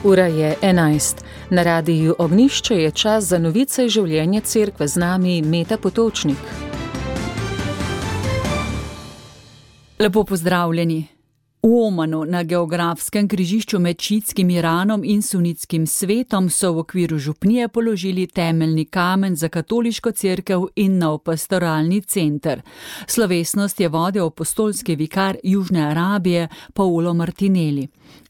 Ura je 11. Na radiju Ognjišče je čas za novice življenja cerkve, z nami Meta Potočnik. Lepo pozdravljeni. V Omanu, na geografskem križišču med šiitskim Iranom in sunitskim svetom, so v okviru župnije položili temeljni kamen za katoliško cerkev in nov pastoralni center. Slovesnost je vodil apostolski vikar Južne Arabije Paulo Martinelli.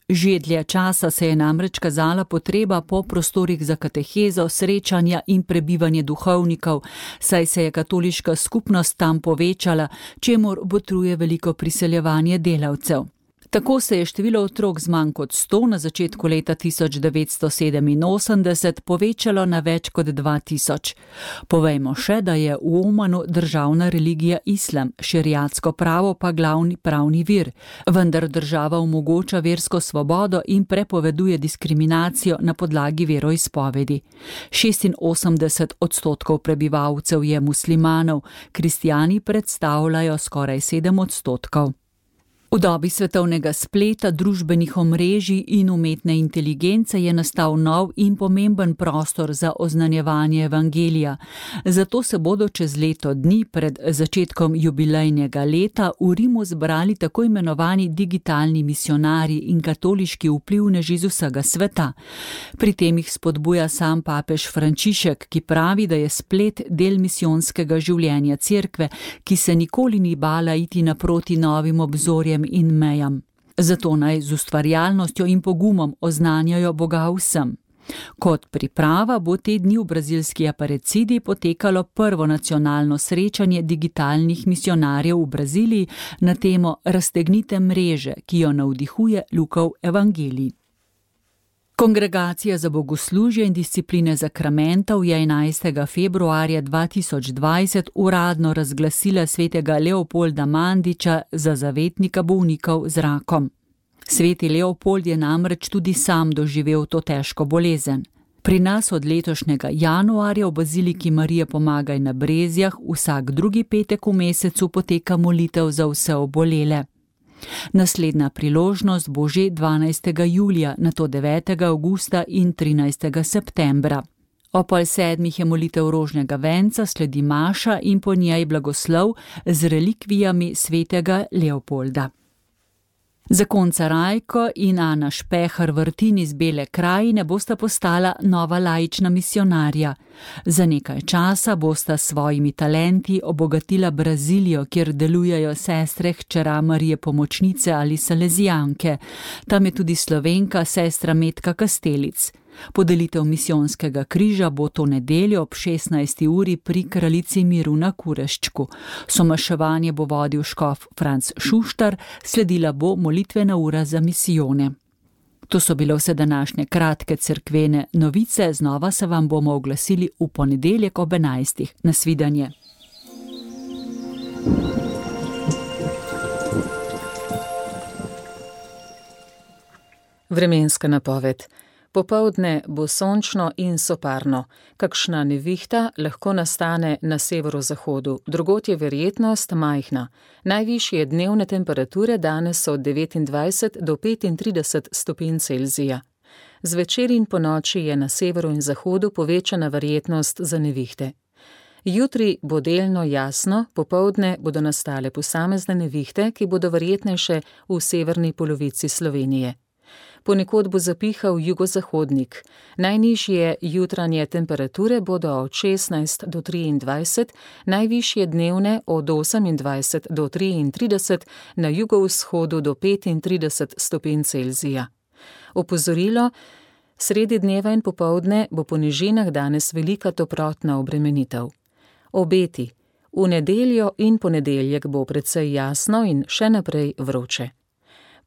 Že dlje časa se je namreč kazala potreba po prostorih za katehezo, srečanja in prebivanje duhovnikov, saj se je katoliška skupnost tam povečala, čemur botruje veliko priseljevanje delavcev. Tako se je število otrok z manj kot 100 na začetku leta 1987 povečalo na več kot 2000. Povejmo še, da je v Omanu državna religija islam, šeriatsko pravo pa glavni pravni vir, vendar država omogoča versko svobodo in prepoveduje diskriminacijo na podlagi veroizpovedi. 86% prebivalcev je muslimanov, kristjani predstavljajo skoraj 7%. V dobi svetovnega spleta, družbenih omrežij in umetne inteligence je nastal nov in pomemben prostor za oznanjevanje evangelija. Zato se bodo čez leto dni pred začetkom jubilejnega leta v Rimu zbrali tako imenovani digitalni misionarji in katoliški vplivneži z vsega sveta. Pri tem jih spodbuja sam papež Frančišek, ki pravi, da je splet del misijonskega življenja cerkve, ki se nikoli ni bala iti naproti novim obzorjem in mejam. Zato naj z ustvarjalnostjo in pogumom oznanjajo Boga vsem. Kot priprava bo te dni v brazilski Aparecidi potekalo prvo nacionalno srečanje digitalnih misionarjev v Braziliji na temo Raztegnite mreže, ki jo navdihuje Lukov evangelij. Kongregacija za bogoslužje in discipline zakramentov je 11. februarja 2020 uradno razglasila svetega Leopolda Mandića za zavetnika bolnikov z rakom. Sveti Leopold je namreč tudi sam doživel to težko bolezen. Pri nas od letošnjega januarja v baziliki Marije Pomagaj na Brezjah vsak drugi petek v mesecu poteka molitev za vse obolele. Naslednja priložnost bo že 12. julija, nato 9. avgusta in 13. septembra. Ob 7:30 je molitev rožnega venca, sledi maša in po njej blagoslov z relikvijami svetega Leopolda. Zakonca Rajko in Ana Špehar Vrtin iz Bele krajine bosta postala nova laična misionarja. Za nekaj časa bosta s svojimi talenti obogatila Brazilijo, kjer delujejo sestre hčera Marije Pomočnice ali Salezijanke. Tam je tudi Slovenka sestra Metka Kastelic. Podelitev misijonskega križa bo to nedeljo ob 16. uri pri Kraljici miru na Kureščku. Somaševanje bo vodil škof Franc Šuštar, sledila bo molitvena ura za misijone. To so bile vse današnje kratke cerkvene novice, znova se vam bomo oglasili v ponedeljek ob 11. Nasvidenje. Vremenska napoved. Popoldne bo sončno in soparno. Kakšna nevihta lahko nastane na severozahodu, drugod je verjetnost majhna. Najvišje dnevne temperature danes so od 29 do 35 stopinj Celzija. Zvečer in ponoči je na severu in zahodu povečana verjetnost za nevihte. Jutri bo delno jasno, popoldne bodo nastale posamezne nevihte, ki bodo verjetnejše v severni polovici Slovenije. Ponekod bo zapihal jugozahodnik. Najnižje jutranje temperature bodo od 16 do 23, najvišje dnevne od 28 do 33, na jugovzhodu do 35 stopinj Celzija. Opozorilo, sredi dneva in popoldne bo po nižinah danes velika toplotna obremenitev. Obeti. V nedeljo in ponedeljek bo precej jasno in še naprej vroče.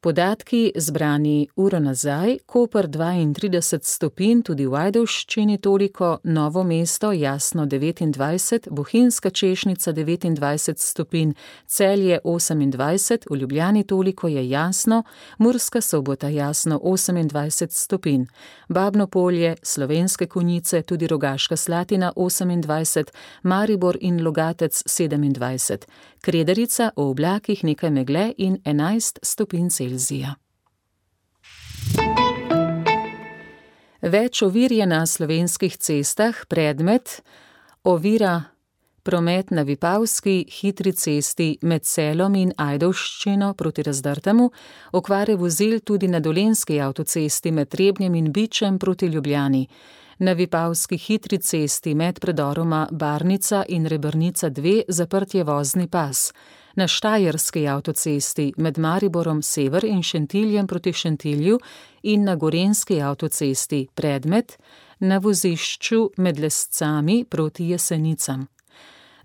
Podatki zbrani uro nazaj, Koper 32 stopinj, tudi v Ajdovščini toliko, Novo mesto jasno 29, Bohinjska Češnica 29 stopinj, Celje 28, v Ljubljani toliko je jasno, Murska Sobota jasno 28 stopinj, Babno Polje, Slovenske Konjice, tudi Rogaška Slatina 28, Maribor in Logatec 27, Kredarica v oblakih nekaj megle in 11 stopinj Celzija. Več ovir je na slovenskih cestah, predmet ovira promet na Vipavski hitri cesti med Selom in Ajdovščino proti Razdrtemu, okvare vozil tudi na Dolenjski avtocesti med Trebnjem in Bičem proti Ljubljani, na Vipavski hitri cesti med predoroma Barnica in Rebrnica 2 zaprt je vozni pas, na Štajerski avtocesti med Mariborom sever in Šentiljem proti Šentilju in na Gorenjski avtocesti predmet na vozišču med Lescami proti Jesenicam.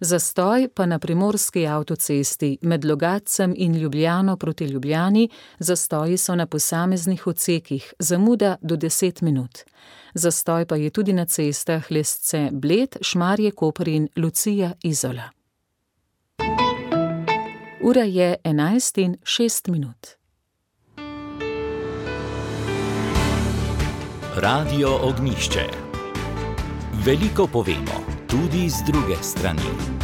Zastoj pa na Primorski avtocesti med Logatcem in Ljubljano proti Ljubljani, zastoji so na posameznih odsekih, zamuda do 10 minut. Zastoj pa je tudi na cestah Lesce Bled, Šmarje Koper in Lucija Izola. Ura je 11:06. Radio Ognjišče. Veliko povemo, tudi z druge strani.